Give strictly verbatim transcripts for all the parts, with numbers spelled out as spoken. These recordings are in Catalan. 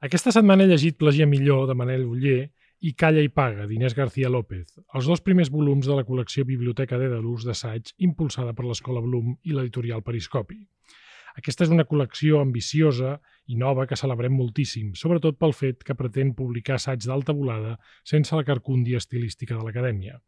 Aquesta setmana he llegit Plagia millor, de Manel Oller, i Calla i paga, d'Inés García López, els dos primers volums de la col·lecció Biblioteca Dèdalus d'assaig impulsada per l'Escola Bloom i l'editorial Periscopi. Aquesta és una col·lecció ambiciosa i nova que celebrem moltíssim, sobretot pel fet que pretén publicar assaig d'alta volada sense la carcúndia estilística de l'acadèmia.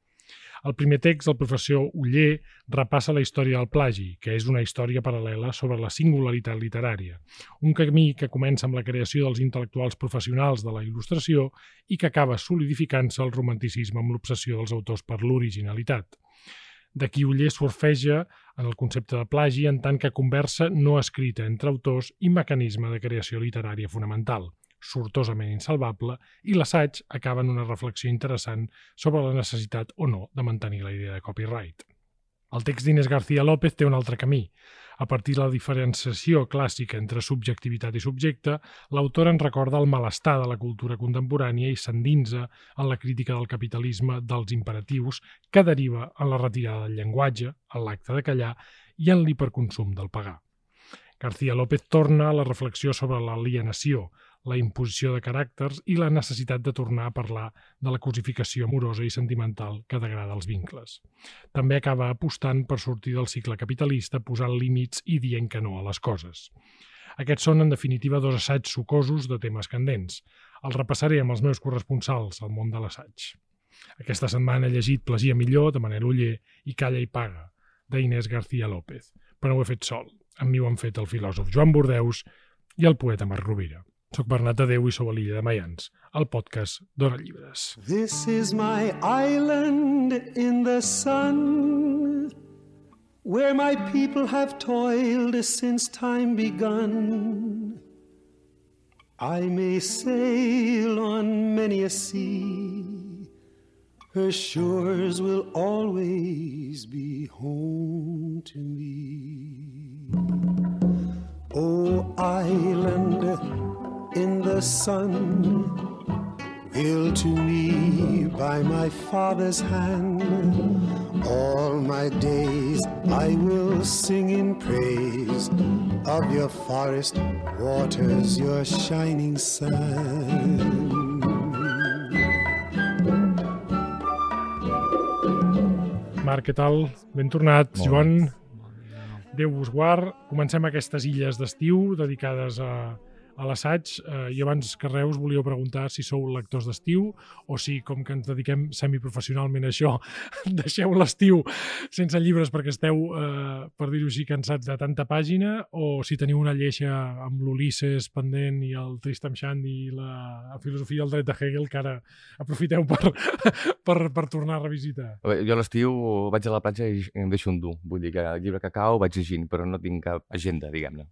Al primer text, el professor Oller repassa la història del plagi, que és una història paral·lela sobre la singularitat literària, un camí que comença amb la creació dels intel·lectuals professionals de la il·lustració i que acaba solidificant-se el romanticisme amb l'obsessió dels autors per l'originalitat. D'aquí Oller surfeja en el concepte de plagi en tant que conversa no escrita entre autors i mecanisme de creació literària fonamental, sortosament insalvable, i l'assaig acaba en una reflexió interessant sobre la necessitat o no de mantenir la idea de copyright. El text d'Inés García López té un altre camí. A partir de la diferenciació clàssica entre subjectivitat i subjecte, l'autor ens recorda el malestar de la cultura contemporània i s'endinsa en la crítica del capitalisme dels imperatius que deriva en la retirada del llenguatge, en l'acte de callar i en l'hiperconsum del pagar. García López torna a la reflexió sobre l'alienació, la imposició de caràcters i la necessitat de tornar a parlar de la cosificació amorosa i sentimental que degrada els vincles. També acaba apostant per sortir del cicle capitalista posant límits i dient que no a les coses. Aquests són, en definitiva, dos assaigs sucosos de temes candents. Els repassaré amb els meus corresponsals al món de l'assaig. Aquesta setmana he llegit Plagia millor, de Manel Oller, i Calla i paga, d'Inés García López. Però ho he fet sol. Amb mi ho han fet el filòsof Joan Bordeus i el poeta Marc Rovira. Soc Bernat Tadeu i sou a l'Illa de Mayans, el podcast d'Hora Llibres. This is my island in the sun, where my people have toiled since time begun. I may sail on many a sea, her shores will always be home to me. Oh, island in the sun, built to me by my father's hand, all my days I will sing in praise of your forest waters, your shining sun. Marc, què tal? Ben tornat. Joan, Déu vos guard. Comencem aquestes illes d'estiu dedicades a a l'assaig. Eh, I abans que res us volíeu preguntar si sou lectors d'estiu o si, com que ens dediquem semiprofessionalment a això, deixeu l'estiu sense llibres perquè esteu, eh, per dir-ho així, cansats de tanta pàgina, o si teniu una lleixa amb l'Ulisses pendent i el Tristram Shandy i la filosofia del dret de Hegel que ara aprofiteu per, per, per tornar a revisitar. Jo a l'estiu vaig a la platja i em deixo endur. Vull dir que el llibre que cau vaig llegint, però no tinc cap agenda, diguem-ne.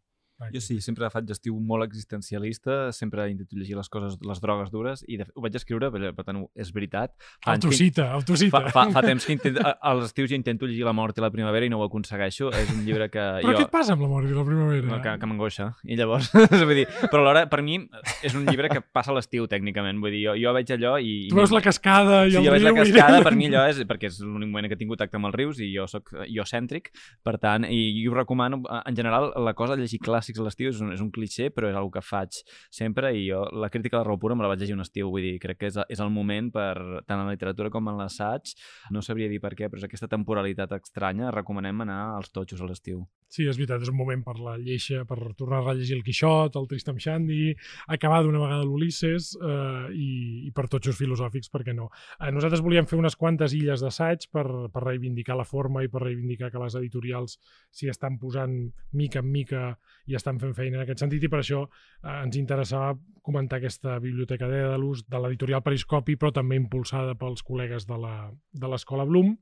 Jo sí, sempre faig estiu molt existencialista, sempre intento llegir les coses, les drogues dures, i de, ho vaig escriure, per, per tant, és veritat. Autocita, autocita. Fa, fa, fa temps que intento, a les estius ja intento llegir La mort i la primavera i no ho aconsegueixo. És un llibre que però jo... què et passa amb La mort i la primavera? No, que, que m'angoixa. I llavors, vull dir, però alhora, per mi, és un llibre que passa a l'estiu, tècnicament. Vull dir, jo, jo veig allò i... Tu veus la cascada i sí, el riu... Sí, jo veig la cascada, per mi allò és... perquè és l'únic moment que he tingut contacte amb els rius i jo soc iocèntric, per tant, i, i ho recomano. En general, la cosa de llegir clàssics a l'estiu és un, és un cliché, però és una que faig sempre, i jo la crítica de la raó pura me la vaig llegir un estiu, vull dir, crec que és, és el moment per, tant en la literatura com en l'assaig, no sabria dir per què, però és aquesta temporalitat estranya, recomanem anar als totxos a l'estiu. Sí, és veritat, és un moment per la lleixa, per tornar a rellegir el Quixot, el Tristram Shandy, acabar d'una vegada l'Ulisses eh, i, i per totxos filosòfics, per què no? Eh, nosaltres volíem fer unes quantes illes d'assaig per, per reivindicar la forma i per reivindicar que les editorials s'hi estan posant mica en mica i estan fent feina en aquest sentit, i per això eh, ens interessava comentar aquesta biblioteca Dèdalus de l'editorial Periscopi, però també impulsada pels col·legues de la, de l'Escola Bloom,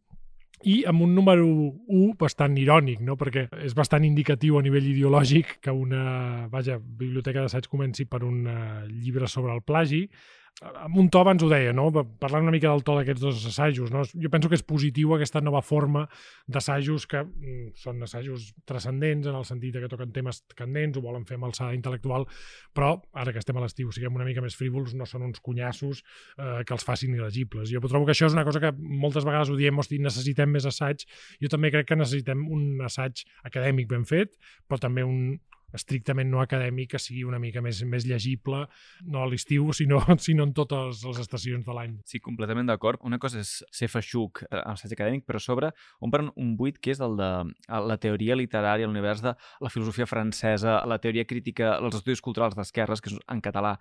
i amb un número u bastant irònic, no? Perquè és bastant indicatiu a nivell ideològic que una vaja, biblioteca d'assaig comenci per un uh, llibre sobre el plagi. Amb un to abans ho deia, no? Parlant una mica del to d'aquests dos assajos, no? Jo penso que és positiu aquesta nova forma d'assajos que mm, són assajos transcendents en el sentit que toquen temes candents, ho volen fer amb alçada intel·lectual, però ara que estem a l'estiu, siguem una mica més frívols, no són uns cunyassos eh, que els facin il·legibles. Jo trobo que això és una cosa que moltes vegades ho diem, hosti, necessitem més assaig. Jo també crec que necessitem un assaig acadèmic ben fet, però també un estrictament no acadèmic, que sigui una mica més, més llegible, no a l'estiu, sinó, sinó en totes les estacions de l'any. Sí, completament d'acord. Una cosa és ser feixuc amb assaig acadèmic, però a sobre omplen un buit que és el de la teoria literària, l'univers de la filosofia francesa, la teoria crítica, els estudis culturals d'esquerres, que és en català.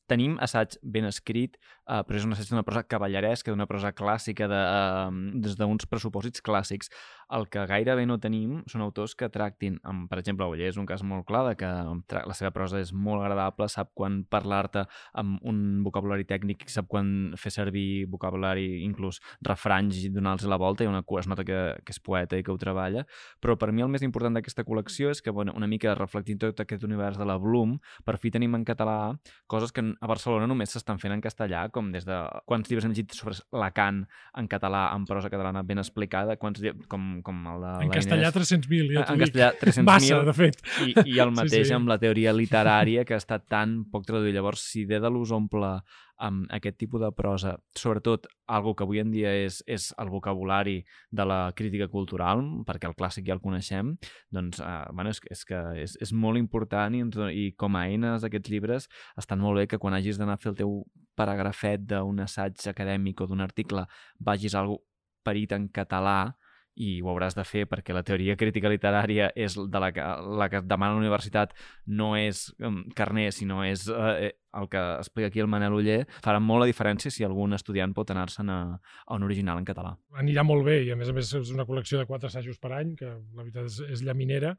Tenim assaig ben escrit, eh, però és un assaig d'una prosa cavalleresca, d'una prosa clàssica, de, eh, des d'uns pressupòsits clàssics. El que gairebé no tenim són autors que tractin, amb, per exemple, Oller és un cas molt clar, de que la seva prosa és molt agradable, sap quan parlar-te amb un vocabulari tècnic, sap quan fer servir vocabulari, inclús refranys i donar-los la volta, i una, es nota que, que és poeta i que ho treballa. Però per mi el més important d'aquesta col·lecció és que, bueno, una mica reflectint tot aquest univers de la Bloom, per fi tenim en català coses que a Barcelona només s'estan fent en castellà, com des de quants llibres hem llegit sobre Lacan en català, en prosa catalana ben explicada, quants, com, com el de en castellà tres-cents mil, ja t'ho dic. En castellà tres-cents mil. Massa, de fet. I, i el mateix sí, sí. amb la teoria literària, que ha estat tan poc traduït. Llavors, si Dèdalus omple amb aquest tipus de prosa, sobretot algo que avui en dia és, és el vocabulari de la crítica cultural, perquè el clàssic ja el coneixem, doncs eh, bueno, és, és que és, és molt important i, i com a eines aquests llibres estan molt bé, que quan hagis d'anar a fer el teu paragrafet d'un assaig acadèmic o d'un article vagis a algú parit en català, i ho hauràs de fer perquè la teoria crítica literària és de la que, la que demana la universitat, no és um, carner, sinó és eh, el que explica aquí el Manel Oller. Farà molt la diferència si algun estudiant pot anar-se'n a, a un original en català. Anirà molt bé, i a més a més és una col·lecció de quatre assajos per any, que la veritat és, és llaminera,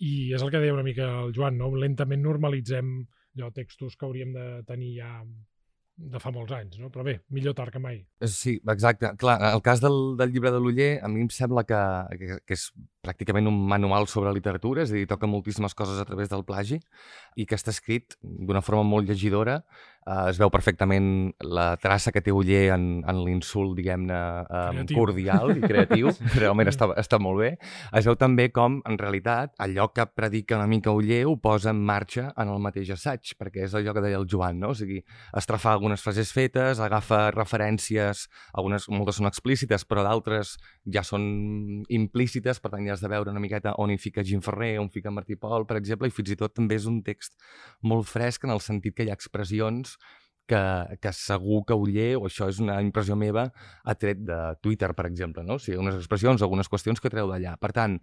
i és el que deia una mica el Joan, no? Lentament normalitzem allò, textos que hauríem de tenir ja de fa molts anys, no? Però bé, millor tard que mai. Sí, exacte. Clar, el cas del, del llibre de l'Oller, a mi em sembla que, que, que és pràcticament un manual sobre literatura, és a dir, toca moltíssimes coses a través del plagi, i que està escrit d'una forma molt llegidora. Uh, es veu perfectament la traça que té Oller en, en l'insult, diguem-ne, um, cordial i creatiu. Realment està, està molt bé. Es veu també com, en realitat, allò que predica una mica Oller ho posa en marxa en el mateix assaig, perquè és allò que deia el Joan, no? O sigui, estrafar algunes frases fetes, agafa referències, algunes, moltes són explícites, però d'altres ja són implícites, per tant ja has de veure una miqueta on hi fica Gim Ferrer, on fica Martí Pol, per exemple, i fins i tot també és un text molt fresc en el sentit que hi ha expressions que, que segur que Oller, o això és una impressió meva, ha tret de Twitter, per exemple, no? O sigui, unes expressions, algunes qüestions que treu d'allà. Per tant,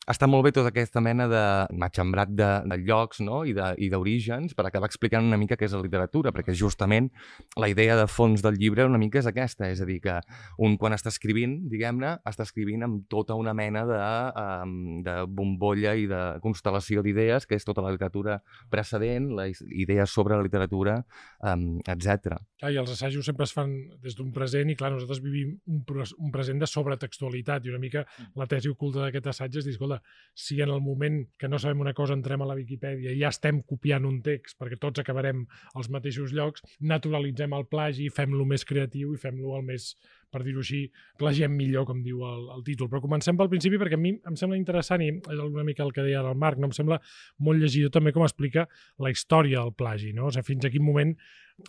està molt bé tota aquesta mena de matxembrat de, de llocs, no? I d'orígens, per acabar explicant una mica què és la literatura, perquè justament la idea de fons del llibre una mica és aquesta, és a dir, que un quan està escrivint, diguem-ne, està escrivint amb tota una mena de, um, de bombolla i de constel·lació d'idees, que és tota la literatura precedent, les idees sobre la literatura, um, etcètera. Clar, i els assajos sempre es fan des d'un present i, clar, nosaltres vivim un, un present de sobretextualitat, i una mica la tesi oculta d'aquest assaig és dir, escolta, si en el moment que no sabem una cosa entrem a la Viquipèdia i ja estem copiant un text perquè tots acabarem als mateixos llocs, naturalitzem el plagi, fem-lo més creatiu i fem-lo el més, per dir-ho així, plagiem millor, com diu el, el títol. Però comencem pel principi perquè a mi em sembla interessant, i és una mica el que deia el Marc, no? Em sembla molt llegidor també com explica la història del plagi, no? O sigui, fins a quin moment,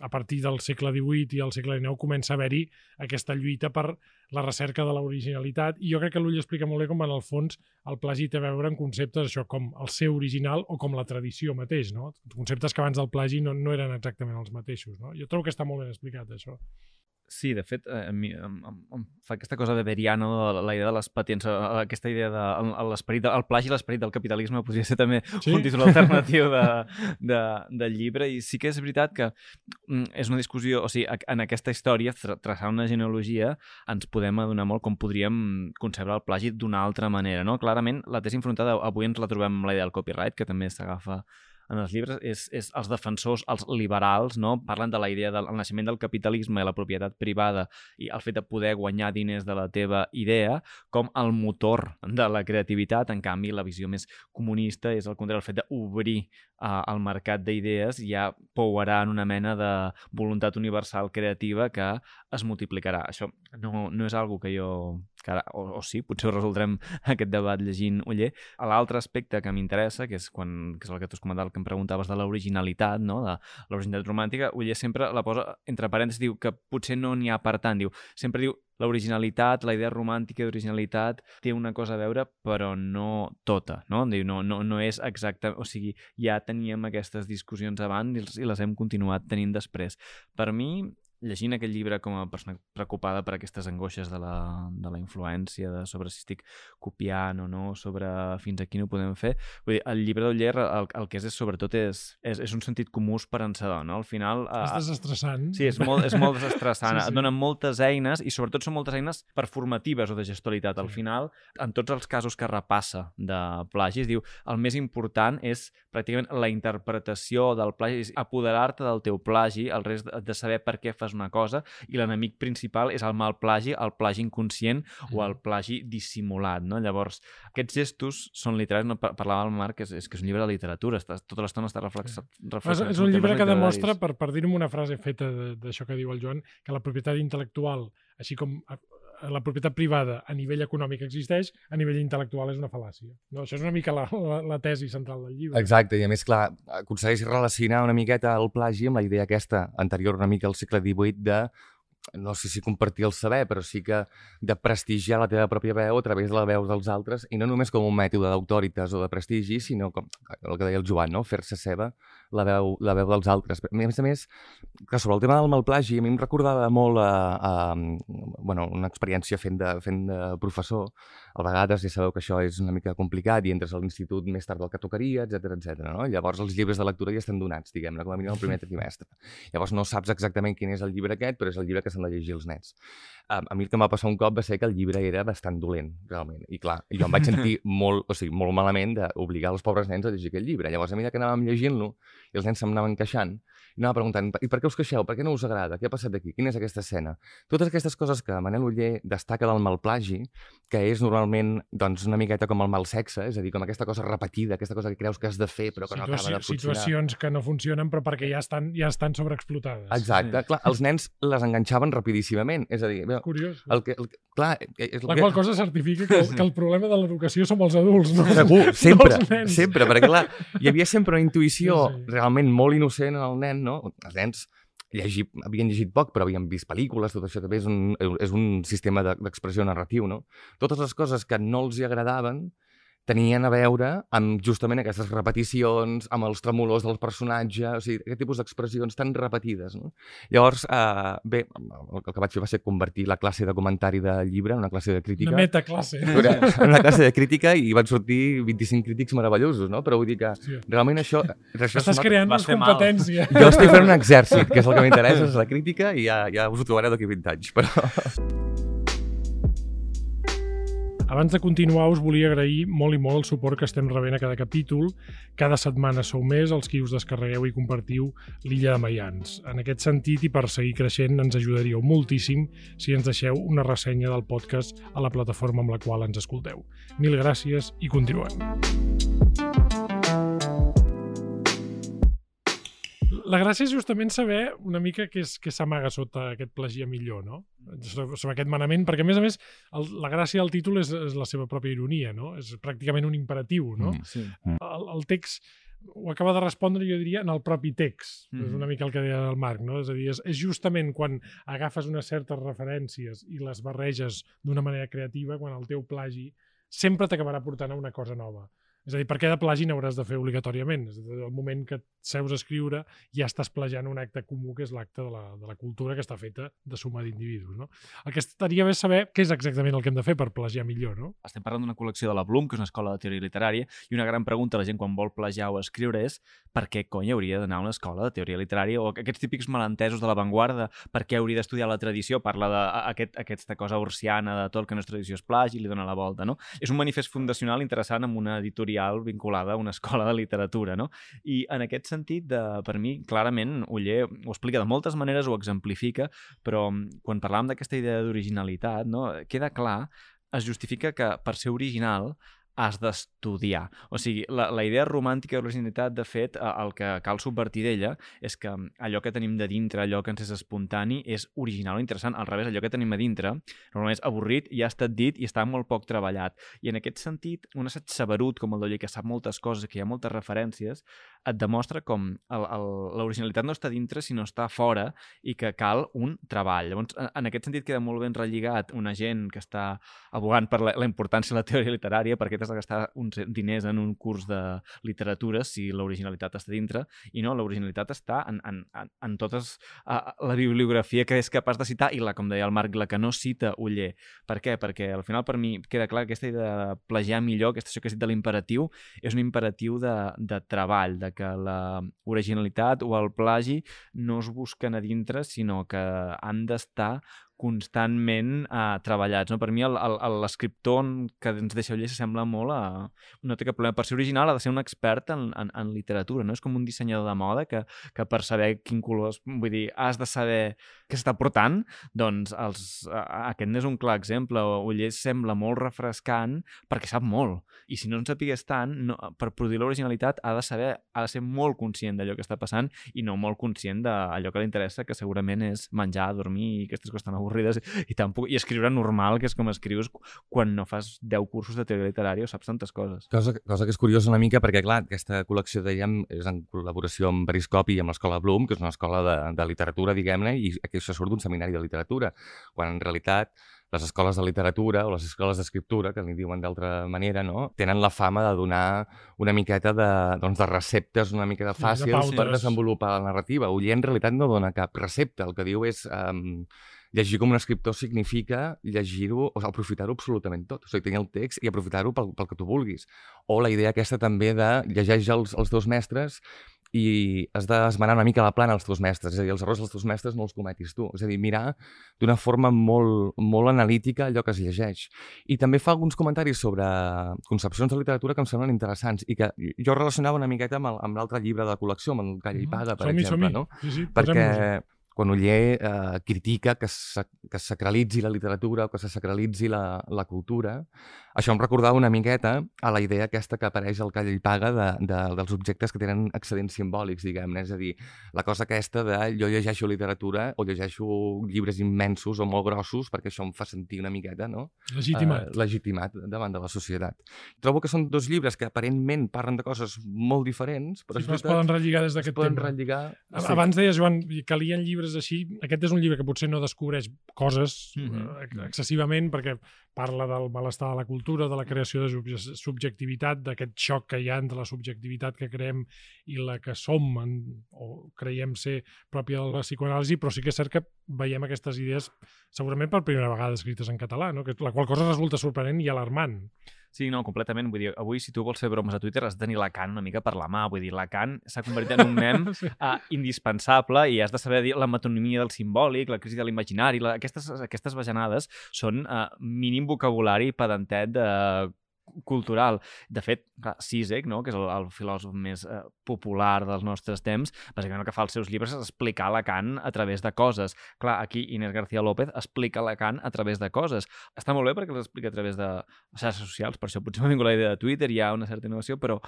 a partir del segle divuit i el segle dinou, comença a haver-hi aquesta lluita per la recerca de l'originalitat, i jo crec que l'Ull explica molt bé com en el fons el plagi té a veure en conceptes això com el seu original o com la tradició mateix, no? Conceptes que abans del plagi no, no eren exactament els mateixos, no? Jo trobo que està molt ben explicat, això. Sí, de fet, a mi em, em, em fa aquesta cosa weberiana, no? La idea de les patents, aquesta idea de l'esperit, el plagi i l'esperit del capitalisme podria ser també sí? un títol alternatiu de, de, del llibre, i sí que és veritat que és una discussió, o sigui, en aquesta història, traçar una genealogia, ens podem adonar molt com podríem concebre el plagi d'una altra manera, no? Clarament, la tesi enfrontada, avui ens la trobem amb la idea del copyright, que també s'agafa en els llibres, és, és els defensors, els liberals, no? Parlen de la idea del naixement del capitalisme i la propietat privada i el fet de poder guanyar diners de la teva idea com el motor de la creativitat. En canvi, la visió més comunista és el contrari, el fet d'obrir uh, el mercat d'idees ja pouarà en una mena de voluntat universal creativa que es multiplicarà. Això no, no és algo que jo que ara, o, o sí, potser ho resoldrem aquest debat llegint Oller. L'altre aspecte que m'interessa, que és quan, que és el que tu has comentat, el que em preguntaves de l'originalitat, no? De l'originalitat romàntica, Oller sempre la posa entre parèntesis, diu que potser no n'hi ha per tant, diu, sempre diu l'originalitat, la idea romàntica d'originalitat té una cosa a veure, però no tota, no? Diu, no, no, no és exacte, o sigui, ja teníem aquestes discussions abans i les hem continuat tenint després. Per mi, llegint aquest llibre com a persona preocupada per aquestes angoixes de la, de la influència, de sobre si estic copiant o no, sobre fins a quin ho podem fer, vull dir, el llibre d'Oller el, el que és, és sobretot és, és, és un sentit comú esperançador, no? Al final... És desestressant. Sí, és molt, és molt desestressant. Sí, sí. Et donen moltes eines i sobretot són moltes eines performatives o de gestualitat. Al Sí. final, en tots els casos que repassa de plagis, diu, el més important és pràcticament la interpretació del plagi, és apoderar-te del teu plagi, el rest de saber per què fas una cosa, i l'enemic principal és el mal plagi, el plagi inconscient o el plagi dissimulat, no? Llavors, aquests gestos són literaris, no? Parlava el Marc, és, és que és un llibre de literatura, està, tota l'estona està reflexat. És, és un llibre que demostra, per, per dir-ho amb una frase feta d'això que diu el Joan, que la propietat intel·lectual, així com la propietat privada a nivell econòmic existeix, a nivell intel·lectual és una fal·làcia. No, això és una mica la, la, la tesi central del llibre. Exacte, i a més, clar, aconsegueix relacionar una miqueta el plagi amb la idea aquesta anterior una mica al segle divuit de, no sé si compartir el saber, però sí que de prestigiar la teva pròpia veu a través de la veu dels altres, i no només com un mètode d'autoritas o de prestigi, sinó com el que deia el Joan, no? Fer-se seva la veu, la veu dels altres. A més a més, que sobre el tema del malplagi, a mi em recordava molt a, a, bueno, una experiència fent de, fent de professor. A vegades ja sabeu que això és una mica complicat i entres a l'institut més tard del que tocaria, etcètera, etcètera. No? Llavors els llibres de lectura ja estan donats, diguem-ne, com a mínim el primer trimestre. Llavors no saps exactament quin és el llibre aquest, però és el llibre que s'han de llegir els nens. A, a mi el que em va passar un cop va ser que el llibre era bastant dolent, realment. I clar, jo em vaig sentir molt, o sigui, molt malament d'obligar els pobres nens a llegir aquest llibre. Llavors, a mesura que anàvem llegint-lo, i els nens se'm anaven queixant, i anava preguntant, i per què us queixeu? Per què no us agrada? Què ha passat aquí? Quina és aquesta escena? Totes aquestes coses que Manel Oller destaca del malplagi, que és normalment doncs, una miqueta com el mal sexe, és a dir, com aquesta cosa repetida, aquesta cosa que creus que has de fer però que no acaba de funcionar. Situacions que no funcionen però perquè ja estan, ja estan sobreexplotades. Exacte. Sí. Clar, els nens les enganxaven rapidíssimament. És a dir, bé, curiós. El que, el, clar, és el la que... qual cosa certifica que, que el problema de l'educació som els adults, no? Segur, sempre, no sempre, perquè clar, hi havia sempre una intuïció sí, sí. realment molt innocent en el nen, no? Els nens llegir, havien llegit poc, però havien vist pel·lícules, tot això també és un, és un sistema d'expressió narratiu, no? Totes les coses que no els hi agradaven tenien a veure amb justament aquestes repeticions, amb els tremolors del personatge, o sigui, aquest tipus d'expressions tan repetides, no? Llavors, eh, bé, el que vaig fer va ser convertir la classe de comentari del llibre en una classe de crítica. Una metaclasse. En una classe de crítica i van sortir vint-i-cinc crítics meravellosos, no? Però vull dir que sí. realment això... això Estàs creant una competència. Mal. Jo estic fent un exèrcit, que és el que m'interessa, és la crítica, i ja, ja us ho trobareu d'aquí vint anys, però... Abans de continuar, us volia agrair molt i molt el suport que estem rebent a cada capítol. Cada setmana sou més els qui us descarregueu i compartiu l'Illa de Maians. En aquest sentit, i per seguir creixent, ens ajudaríeu moltíssim si ens deixeu una ressenya del podcast a la plataforma amb la qual ens escolteu. Mil gràcies i continuem. La gràcia és justament saber una mica què s'amaga sota aquest plagiar millor, no? Sobre aquest manament, perquè a més a més el, la gràcia del títol és, és la seva pròpia ironia, no? És pràcticament un imperatiu, no? Mm, sí. el, el text ho acaba de respondre, jo diria, en el propi text. Mm. És una mica el que deia el Marc, no? És a dir, és, és justament quan agafes unes certes referències i les barreges d'una manera creativa, quan el teu plagi sempre t'acabarà portant a una cosa nova. És a dir, perquè de plagi n'hauràs de fer obligatòriament. És a dir, el moment que et seus a escriure ja estàs plagiant un acte comú, que és l'acte de, la, de la cultura que està feta de suma d'individus, no? El que estaria bé saber què és exactament el que hem de fer per plagiar millor, no? Estem parlant d'una col·lecció de la Bloom, que és una escola de teoria literària, i una gran pregunta a la gent quan vol plagiar o escriure és per què cony hauria d'anar a una escola de teoria literària, o aquests típics malentesos de l'avantguarda, per què hauria d'estudiar la tradició, parla d'aquesta aquest, cosa ursiana de tot el que no és tradició és plagi i li dona la volta, no? És un manifest fundacional interessant amb una editorial vinculada a una escola de literatura, no? I en aquest sentit, de, per mi, clarament, Oller ho explica de moltes maneres, ho exemplifica, però quan parlàvem d'aquesta idea d'originalitat, no? Queda clar, es justifica que per ser original has d'estudiar. O sigui, la, la idea romàntica de l'originalitat, de fet, el que cal subvertir d'ella és que allò que tenim de dintre, allò que ens és espontani, és original o interessant. Al revés, allò que tenim a dintre, normalment és avorrit, ja ha estat dit i està molt poc treballat. I en aquest sentit, un assaig saberut com el d'Oller, que sap moltes coses, que hi ha moltes referències, et demostra com l'originalitat no està dintre, sinó està fora i que cal un treball. Llavors, en aquest sentit, queda molt ben relligat una gent que està abogant per la, la importància de la teoria literària, perquè t'has de gastar uns diners en un curs de literatura si l'originalitat està dintre, i no, l'originalitat està en, en, en, en totes uh, la bibliografia que és capaç de citar, i la, com deia el Marc, la que no cita Oller. Per què? Perquè al final per mi queda clar que aquesta idea de plagiar millor, aquesta això que has dit de l'imperatiu, és un imperatiu de, de treball, de que la originalitat o el plagi no es busquen a dintre, sinó que han d'estar constantment uh, treballats. No? Per mi l'escriptor que ens deixa Oller s'assembla molt a... No té cap problema. Per ser original ha de ser un expert en, en, en literatura. No? És com un dissenyador de moda que, que per saber quin color... Vull dir, has de saber què s'està portant. Doncs els, uh, aquest n'és un clar exemple. Oller sembla molt refrescant perquè sap molt. I si no en sapigués tant, no, per produir l'originalitat ha de saber, ha de ser molt conscient d'allò que està passant i no molt conscient d'allò que li interessa, que segurament és menjar, dormir i aquestes coses tan avorrides i, tampoc, i escriure normal, que és com escrius quan no fas deu cursos de teoria literària o saps tantes coses. Cosa, cosa que és curiosa una mica perquè, clar, aquesta col·lecció, dèiem, és en col·laboració amb Periscopi i amb l'Escola Bloom, que és una escola de, de literatura, diguem-ne, i això surt d'un seminari de literatura, quan en realitat les escoles de literatura o les escoles d'escriptura, que li diuen d'altra manera, no? Tenen la fama de donar una miqueta de, doncs, de receptes una mica de fàcils sí, de per desenvolupar la narrativa. Oller en realitat no dona cap recepta, el que diu és... Um, llegir com un escriptor significa llegir-ho, o sigui, aprofitar-ho absolutament tot. O sigui, tenir el text i aprofitar-ho pel, pel que tu vulguis. O la idea aquesta també de llegeix els, els teus mestres i has d'esmenar una mica la plana als teus mestres. És a dir, els errors dels teus mestres no els cometis tu. És a dir, mirar d'una forma molt, molt analítica allò que es llegeix. I també fa alguns comentaris sobre concepcions de literatura que em semblen interessants i que jo relacionava una miqueta amb l'altre llibre de la col·lecció, amb el Calla i Paga, per som-hi, exemple. som-hi. No? Sí, sí, perquè quan Oller eh, critica que, sa, que es sacralitzi la literatura o que se sacralitzi la, la cultura, això em recordava una miqueta a la idea aquesta que apareix al Calla i Paga de, de, dels objectes que tenen excedents simbòlics, diguem-ne. És a dir, la cosa aquesta de jo llegeixo literatura o llegeixo llibres immensos o molt grossos perquè això em fa sentir una miqueta, no? Legitimat. Eh, legitimat davant de la societat. Trobo que són dos llibres que aparentment parlen de coses molt diferents, però sí, es poden relligar des d'aquest tema. Relligar... Abans deies, Joan, que calien llibres així. Aquest és un llibre que potser no descobreix coses mm-hmm. excessivament perquè parla del malestar de la cultura, de la creació de subjectivitat, d'aquest xoc que hi ha entre la subjectivitat que creem i la que som en, o creiem ser pròpia de la psicoanàlisi, però sí que és cert que veiem aquestes idees segurament per primera vegada escrites en català, no? Que la qual cosa resulta sorprenent i alarmant. Sí, no, completament. Vull dir, avui, si tu vols fer bromes a Twitter, has de tenir Lacan una mica per la mà. Vull dir, Lacan s'ha convertit en un mem sí. uh, indispensable i has de saber dir la metonímia del simbòlic, la crisi de l'imaginari. La... Aquestes, aquestes bajanades són uh, mínim vocabulari pedantet de cultural. De fet, clar, Zizek, no? Que és el, el filòsof més eh, popular dels nostres temps, bàsicament el que fa als seus llibres és explicar Lacan a través de coses. Clar, aquí Inés García López explica Lacan a través de coses. Està molt bé perquè els explica a través de xarxes socials, per això potser m'ha vingut la idea de Twitter, hi ha una certa innovació, però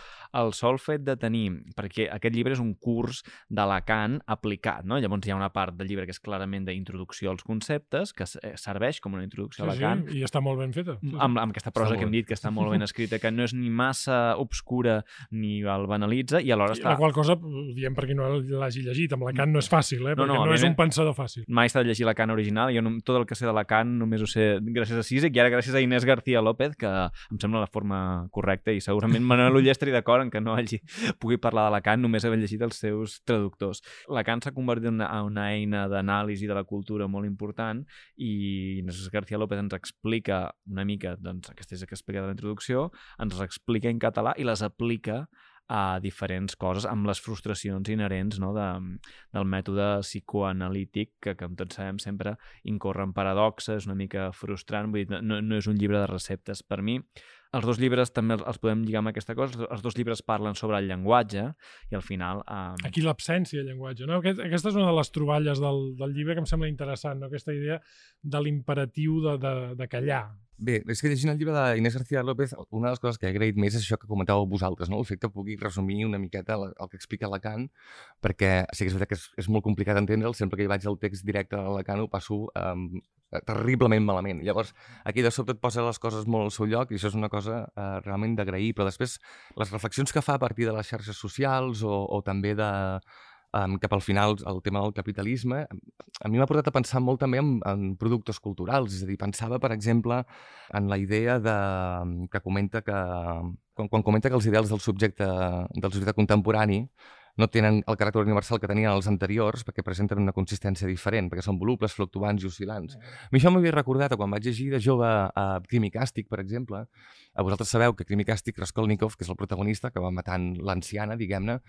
el sol fet de tenir, perquè aquest llibre és un curs de Lacan aplicat, no? Llavors hi ha una part del llibre que és clarament d'introducció als conceptes, que serveix com una introducció sí, a Lacan. Sí, i està molt ben feta. Sí, sí. Amb, amb aquesta prosa que hem dit, que està molt ben escrita, que no és ni massa obscura ni el banalitza i alhora està... La qual cosa, diem per qui no l'hagi llegit, amb Lacan no és fàcil, eh? No, perquè no, no és un pensador fàcil. Mai he estat de llegir Lacan original, jo no, tot el que sé de Lacan només ho sé gràcies a Zizek i ara gràcies a Inés García López, que em sembla la forma correcta i segurament Manuel Oller estaria d'acord en que no hagi pugui parlar de Lacan només haver llegit els seus traductors. Lacan s'ha convertit en una, una eina d'anàlisi de la cultura molt important i Inés García López ens explica una mica, doncs, aquesta és que explica de la introducció, ens les explica en català i les aplica a diferents coses amb les frustracions inherents, no, de, del mètode psicoanalític que, com tots sabem, sempre incorre en paradoxes, una mica frustrant, vull dir, no, no és un llibre de receptes. Per mi, els dos llibres també els podem lligar amb aquesta cosa, els dos llibres parlen sobre el llenguatge i al final... Eh... Aquí l'absència de llenguatge, no? Aquest, aquesta és una de les troballes del, del llibre que em sembla interessant, no? Aquesta idea de l'imperatiu de, de, de callar. Bé, és que llegint el llibre d'Inés García López, una de les coses que he agraït més és això que comentàveu vosaltres, no? El fet que pugui resumir una miqueta el, el que explica Lacan, perquè sí que és veritat que és, és molt complicat entendre'l, sempre que hi vaig al text directe de Lacan ho passo um, terriblement malament. Llavors, aquí de sobte et posa les coses molt al seu lloc i això és una cosa uh, realment d'agrair, però després les reflexions que fa a partir de les xarxes socials o, o també de... Um, cap al final el tema del capitalisme, a mi m'ha portat a pensar molt també en, en productes culturals, és a dir, pensava, per exemple, en la idea de, que comenta que, quan, quan comenta que els ideals del subjecte, del subjecte contemporani no tenen el caràcter universal que tenien els anteriors perquè presenten una consistència diferent, perquè són volubles, fluctuants i oscil·lants. A mi això m'havia recordat a quan vaig llegir de jove a Crim i Càstig, per exemple. A vosaltres sabeu que Crim i Càstig, Raskolnikov, que és el protagonista, que va matant l'anciana, diguem-ne,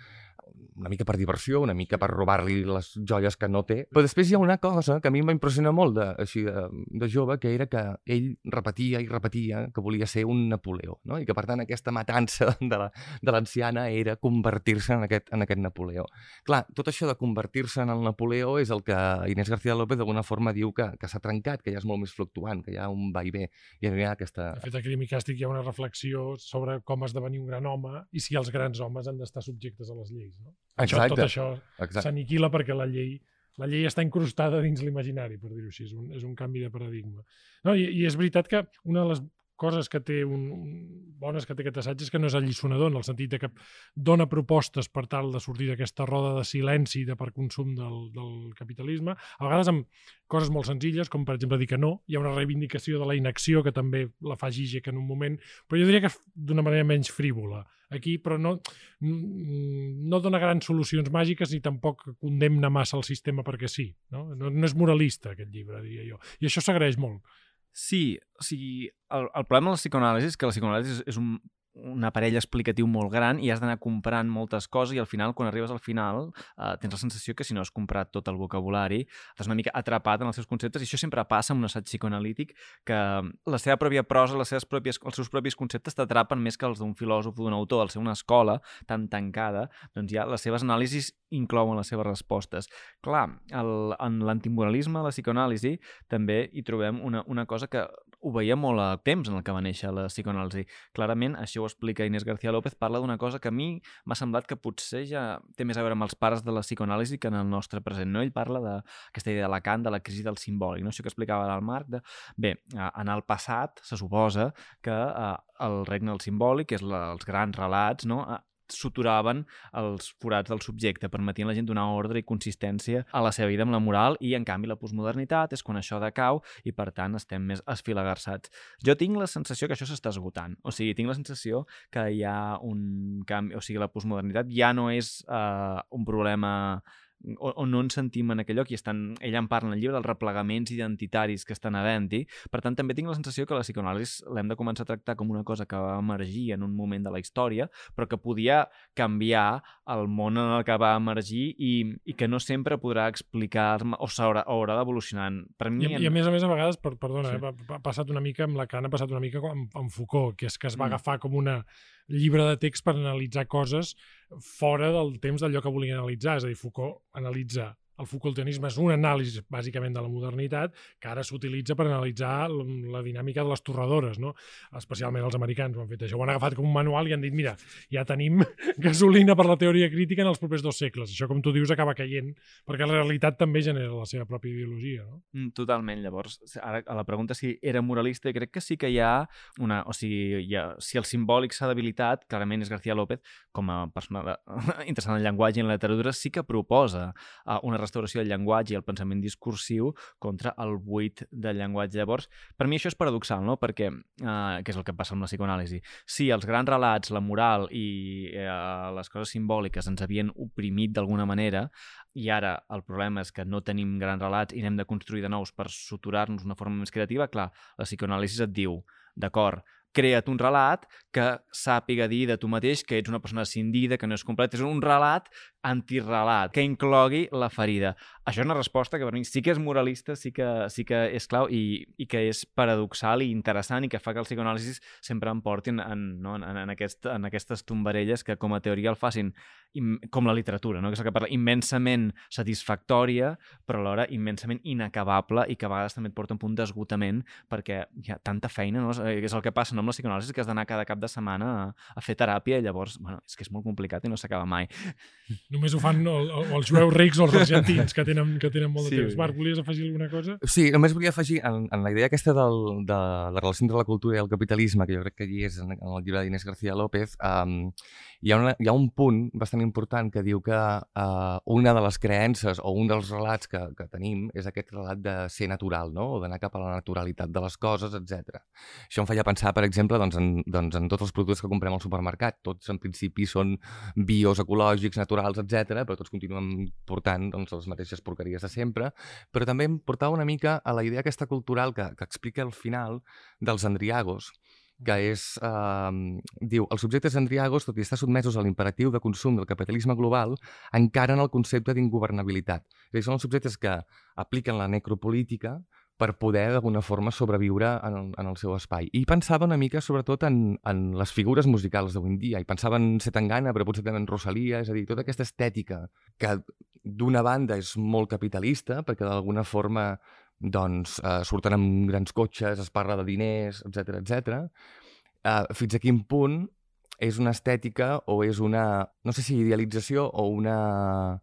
una mica per diversió, una mica per robar-li les joies que no té. Però després hi ha una cosa que a mi em va impressionar molt de, així de, de jove, que era que ell repetia i repetia que volia ser un Napoleó, no? I que, per tant, aquesta matança de l'anciana era convertir-se en aquest, en aquest Napoleó. Clar, tot això de convertir-se en el Napoleó és el que Inés García López d'alguna forma diu que, que s'ha trencat, que ja és molt més fluctuant, que hi ha un va i ve. I hi ha aquesta... De fet, a Crim i Càstig hi ha una reflexió sobre com esdevenir un gran home i si els grans homes han d'estar subjectes a les lleis. No? Això, tot això s'aniquila perquè la llei, la llei està incrustada dins l'imaginari, per dir-ho així, és un, és un canvi de paradigma. No, i, I és veritat que una de les coses que té un, un, bones que té aquest assaig és que no és alliçonador, en el sentit de que dona propostes per tal de sortir d'aquesta roda de silenci de per consum del, del capitalisme, a vegades amb coses molt senzilles, com per exemple dir que no, hi ha una reivindicació de la inacció que també la fa Zizek en un moment, però jo diria que d'una manera menys frívola aquí, però no, no dona grans solucions màgiques ni tampoc condemna massa el sistema perquè sí. No, no, no és moralista aquest llibre, diria jo. I això s'agraeix molt. Sí, o sigui, el, el problema de la psicoanàlisi és que la psicoanàlisi és, és un, un aparell explicatiu molt gran i has d'anar comprant moltes coses i al final, quan arribes al final, eh, tens la sensació que si no has comprat tot el vocabulari, estàs una mica atrapat en els seus conceptes i això sempre passa amb un assaig psicoanalític que la seva pròpia prosa, les seves pròpies, els seus propis conceptes t'atrapen més que els d'un filòsof o d'un autor. Al ser una escola tan tancada, doncs ja les seves anàlisis inclouen les seves respostes. Clar, el, en l'antimoralisme, la psicoanàlisi, també hi trobem una, una cosa que ho veia molt a temps en el que va néixer la psicoanàlisi. Clarament, això ho explica Inés García López, parla d'una cosa que a mi m'ha semblat que potser ja té més a veure amb els pares de la psicoanàlisi que en el nostre present. No? Ell parla d'aquesta idea de Lacan, de la crisi del simbòlic, no? Això que explicava ara el Marc. De... Bé, en el passat se suposa que eh, el regne del simbòlic, que és la, els grans relats, no? Suturaven els forats del subjecte, permetien a la gent donar ordre i consistència a la seva vida amb la moral i, en canvi, la postmodernitat és quan això decau i, per tant, estem més esfilagarsats. Jo tinc la sensació que això s'està esgotant. O sigui, tinc la sensació que hi ha un canvi... O sigui, la postmodernitat ja no és uh, un problema... O, o no ens sentim en aquell lloc i estan, ella en parla en el llibre dels replegaments identitaris que estan havent-hi. Per tant, també tinc la sensació que la psicoanàlisi l'hem de començar a tractar com una cosa que va emergir en un moment de la història, però que podia canviar el món en el que va emergir i, i que no sempre podrà explicar o s'haurà haurà d'evolucionar. Per mi... I, en... I a més a més, a vegades, per, perdona, sí. eh, ha passat una mica amb Lacan, ha passat una mica amb, amb Foucault, que és que es va mm. agafar com una llibre de text per analitzar coses fora del temps d'allò que volia analitzar. És a dir, Foucault analitza... El Foucaultianisme és un anàlisi, bàsicament, de la modernitat que ara s'utilitza per analitzar la dinàmica de les torradores, no? Especialment els americans ho han fet això. Ho han agafat com un manual i han dit, mira, ja tenim gasolina per la teoria crítica en els propers dos segles. Això, com tu dius, acaba caient, perquè la realitat també genera la seva pròpia ideologia, no? Mm, totalment. Llavors, ara, a la pregunta si era moralista, crec que sí que hi ha una... O sigui, hi ha, si el simbòlic s'ha debilitat, clarament és García López, com a persona de, interessant en el llenguatge i en la literatura, sí que proposa uh, una restauració del llenguatge i el pensament discursiu contra el buit del llenguatge. Llavors, per mi això és paradoxal, no? Perquè, eh, que és el que passa amb la psicoanàlisi, si els grans relats, la moral i eh, les coses simbòliques ens havien oprimit d'alguna manera i ara el problema és que no tenim grans relats i n'hem de construir de nous per suturar-nos d'una forma més creativa, clar, la psicoanàlisi et diu, d'acord, crea't un relat que sàpiga dir de tu mateix que ets una persona escindida, que no és complet. És un relat antirelat, que inclogui la ferida. Això és una resposta que per mi sí que és moralista, sí que, sí que és clau i, i que és paradoxal i interessant i que fa que el psicoanàlisis sempre em portin en, no, en, en, aquest, en aquestes tombarelles que com a teoria el facin im, com la literatura, no? Que és el que parla, immensament satisfactòria, però alhora immensament inacabable i que a vegades també et porta un punt d'esgotament perquè hi ha tanta feina, no? És el que passa no, amb la psicoanàlisi, que has d'anar cada cap de setmana a, a fer teràpia i llavors, bueno, és que és molt complicat i no s'acaba mai. Només ho fan o, o els jueus rics o els argentins, que tenen, que tenen molt de Sí. temps. Marc, volies afegir alguna cosa? Sí, només volia afegir en, en la idea aquesta del, de la relació entre la cultura i el capitalisme, que jo crec que allí és en, en el llibre d'Inés García López, um, hi, ha una, hi ha un punt bastant important que diu que uh, una de les creences o un dels relats que, que tenim és aquest relat de ser natural, no? O d'anar cap a la naturalitat de les coses, etcètera. Això em feia pensar, per exemple, doncs, en, doncs, en tots els productes que comprem al supermercat. Tots, en principi, són bios, ecològics, naturals, etcètera, però tots continuem portant doncs, les mateixes porqueries de sempre. Però també em portava una mica a la idea aquesta cultural que, que explica al final dels andriagos, que és, eh, diu, els subjectes andriagos, tot i estar sotmesos a l'imperatiu de consum del capitalisme global, encaren el concepte d'ingovernabilitat. És a dir, són els subjectes que apliquen la necropolítica per poder, d'alguna forma, sobreviure en el, en el seu espai. I pensava una mica, sobretot, en, en les figures musicals d'avui en dia. I pensava en Zetangana, però potser també en Rosalia, és a dir, tota aquesta estètica que, d'una banda, és molt capitalista, perquè d'alguna forma doncs, eh, surten amb grans cotxes, es parla de diners, etcètera, etcètera. Eh, fins a quin punt és una estètica o és una, no sé si idealització o una...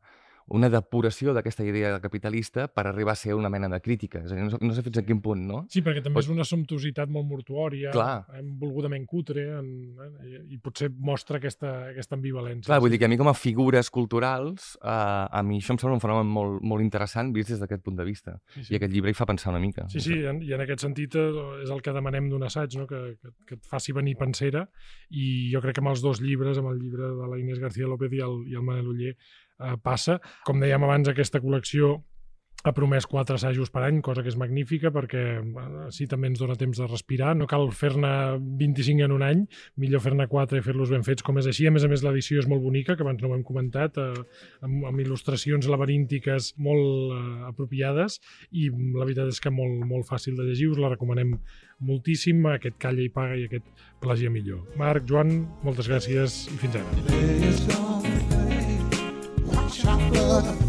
una depuració d'aquesta idea capitalista per arribar a ser una mena de crítica. És a dir, no, no sé fins a quin punt, no? Sí, perquè també Pot... és una sumptuositat molt mortuòria, Clar. volgudament cutre, en, en, i potser mostra aquesta, aquesta ambivalència. Clar, vull dir que a mi com a figures culturals, eh, a mi això em sembla un fenomen molt, molt interessant vist des d'aquest punt de vista. Sí, sí. I aquest llibre hi fa pensar una mica. Sí, sí, en, i en aquest sentit eh, és el que demanem d'un assaig, no? que, que, que et faci venir pensera, i jo crec que amb els dos llibres, amb el llibre de la Inés García López i el, i el Manel Oller, eh, passa. Com dèiem abans, aquesta col·lecció ha promès quatre assajos per any, cosa que és magnífica perquè així també ens dona temps de respirar. No cal fer-ne vint-i-cinc en un any, millor fer-ne quatre i fer-los ben fets com és així. A més a més, l'edició és molt bonica, que abans no ho hem comentat, eh, amb, amb il·lustracions laberíntiques molt eh, apropiades, i la veritat és que molt, molt fàcil de llegir. Us la recomanem moltíssim, aquest Calla i paga i aquest Plagia millor. Marc, Joan, moltes gràcies i fins ara. Chocolate